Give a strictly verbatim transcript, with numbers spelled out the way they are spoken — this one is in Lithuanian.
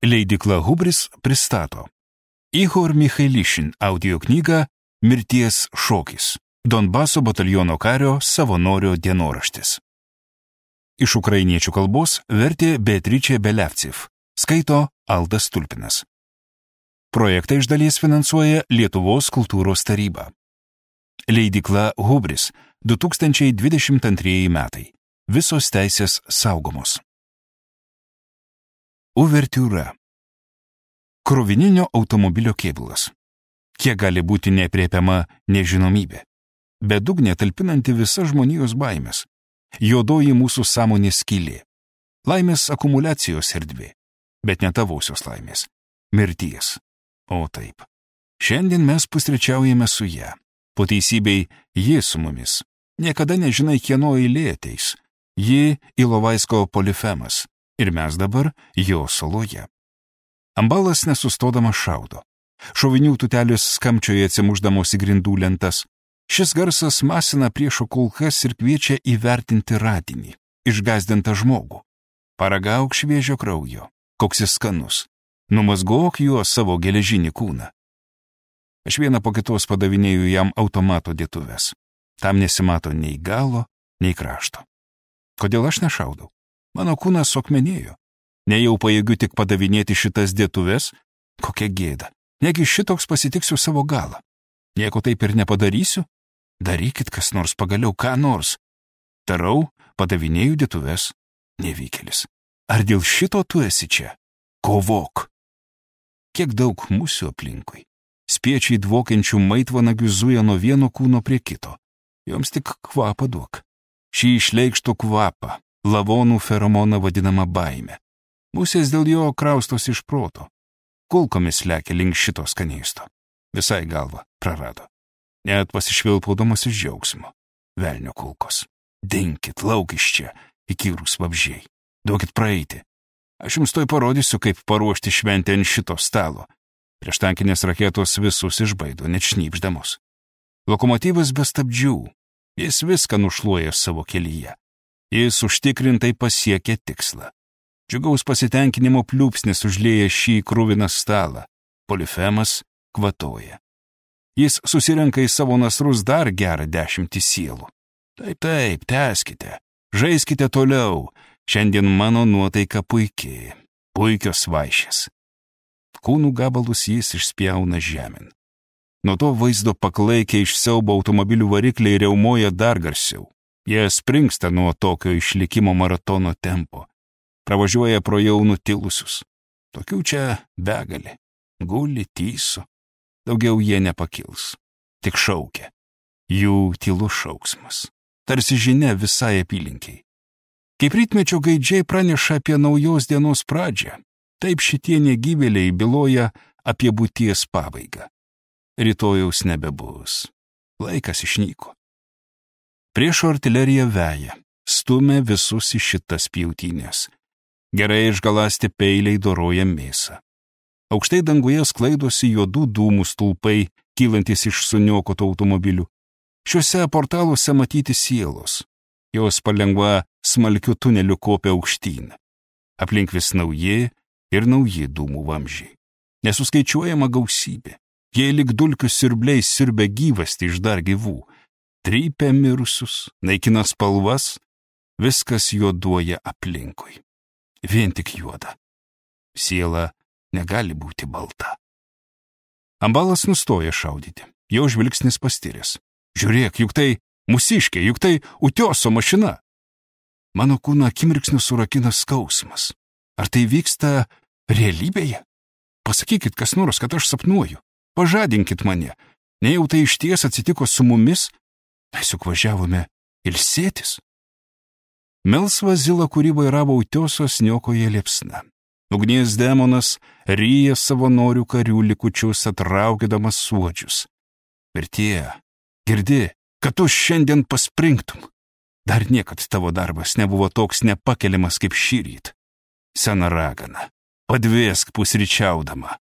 Leidykla Hubris pristato Ihor Michailišin audioknygą Mirties šokis. Donbaso bataliono kario savanorio dienoraštis. Iš ukrainiečių kalbos vertė Beatričė Belevcev, skaito Aldas Tulpinas. Projektą iš dalies finansuoja Lietuvos kultūros taryba. Leidykla Hubris, du tūkstančiai dvidešimt antrieji metai. Visos teisės saugomos. Uvertiūra. Krovininio automobilio kėbulas. Kiek gali būti neaprėpiama nežinomybė. Bedugnė talpinanti visas žmonijos baimės. Juodoji mūsų sąmonės skylė. Laimės akumuliacijos erdvė. Bet ne tavosios laimės. Mirties. O taip. Šiandien mes pusryčiaujame su ją. Po teisybei, ji su mumis. Niekada nežinai, kieno eilė ateis. Ji Ilovaisko polifemas. Ir mes dabar jo saloje. Ambalas nesustodamas šaudo. Šovinių tutelės skamčioje atsimuždamos į grindų lentas. Šis garsas masina priešo kulkas ir kviečia įvertinti radinį, išgąsdintą žmogų. Paragauk šviežio kraujo, koks jis skanus. Numazgok juo savo geležinį kūną. Aš vieną po kitos padavinėju jam automato dėtuves. Tam nesimato nei galo, nei krašto. Kodėl aš nešaudau? Mano kūnas suakmenėjo. Nejau pajėgiu tik padavinėti šitas dėtuves? Kokia gėda. Negi šitoks pasitiksiu savo galą. Nieko taip ir nepadarysiu? Darykit kas nors pagaliau, ką nors. Darau, padavinėju dėtuves. Nevykėlis. Ar dėl šito tu esi čia? Kovok. Kiek daug musių aplinkui. Spiečiai dvokiančių maitvanagių zuja nuo vieno kūno prie kito. Joms tik kvapą duok. Šį išleikštų kvapą. Lavonų feromoną vadinama baime. Musės dėl jo kraustos iš proto. Kulkomis lekia link šito skanėsto. Visai galvą prarado. Net pasišvilpaudamas iš džiaugsmo. Velnio kulkos. Dinkit, lauk iš čia, įkyrūs vabžiai. Duokit praeiti. Aš jums toj parodysiu, kaip paruošti šventę ant šito stalo. Prieštankinės raketos visus išbaido, net šnypždamos. Lokomotyvas be stabdžių. Jis viską nušluoja savo kelyje. Jis užtikrintai pasiekė tikslą. Džiugaus pasitenkinimo pliūpsnis užlieja šį kruviną stalą. Polifemas kvatoja. Jis susirenka į savo nasrus dar gerą dešimtį sielų. Taip, taip, tęskite. Žaiskite toliau. Šiandien mano nuotaika puikiai. Puikios vaišės. Kūnų gabalus jis išspjauna žemėn. Nuo to vaizdo paklaikę iš siaubo automobilių varikliai riaumoja dar garsiau. Jie springsta nuo tokio išlikimo maratono tempo. Pravažiuoja pro jau nutilusius. Tokių čia begalė. Guli, tyso. Daugiau jie nepakils. Tik šaukia. Jų tylus šauksmas. Tarsi žinia visai apylinkiai. Kaip rytmečio gaidžiai praneša apie naujos dienos pradžią, taip šitie negyvėliai byloja apie būties pabaigą. Rytojaus nebebus. Laikas išnyko. Priešo artilerija veja, stumia visus į šitas pjautynės. Gerai išgalasti peiliai doroja mėsą. Aukštai danguje sklaidosi juodų dūmų stulpai, kylantis iš suniokotų automobilių. Šiuose portaluose matyti sielos. Jos palengva smalkiu tuneliu kopia aukštyn. Aplink vis nauji ir nauji dūmų vamzdžiai. Nesuskaičiuojama gausybė. Jie lyg dulkių siurbliai siurbia gyvastį iš dar gyvų. Trypia mirusius, naikina spalvas, viskas juoduoja aplinkui. Vien tik juoda. Siela negali būti balta. Ambalas nustoja šaudyti. Jo žvilgsnis pastiręs. Žiūrėk, juk tai mūsiškė, juk tai Utioso mašina. Mano kūną akimirksniu surakina skausmas. Ar tai vyksta realybėje? Pasakykit kas nors, kad aš sapnuoju. Pažadinkit mane. Nejau tai išties atsitiko su mumis? Mes juk važiavome ilsėtis. Melsva zila, kurį vairavo Utiosos, niokoja liepsna. Ugnies demonas ryja savanorių karių likučius, atraukydamas suodžius. Mirtie, girdi, kad tu šiandien paspringtum. Dar niekad tavo darbas nebuvo toks nepakeliamas kaip šįryt. Sena ragana, padvėsk pusryčiaudama.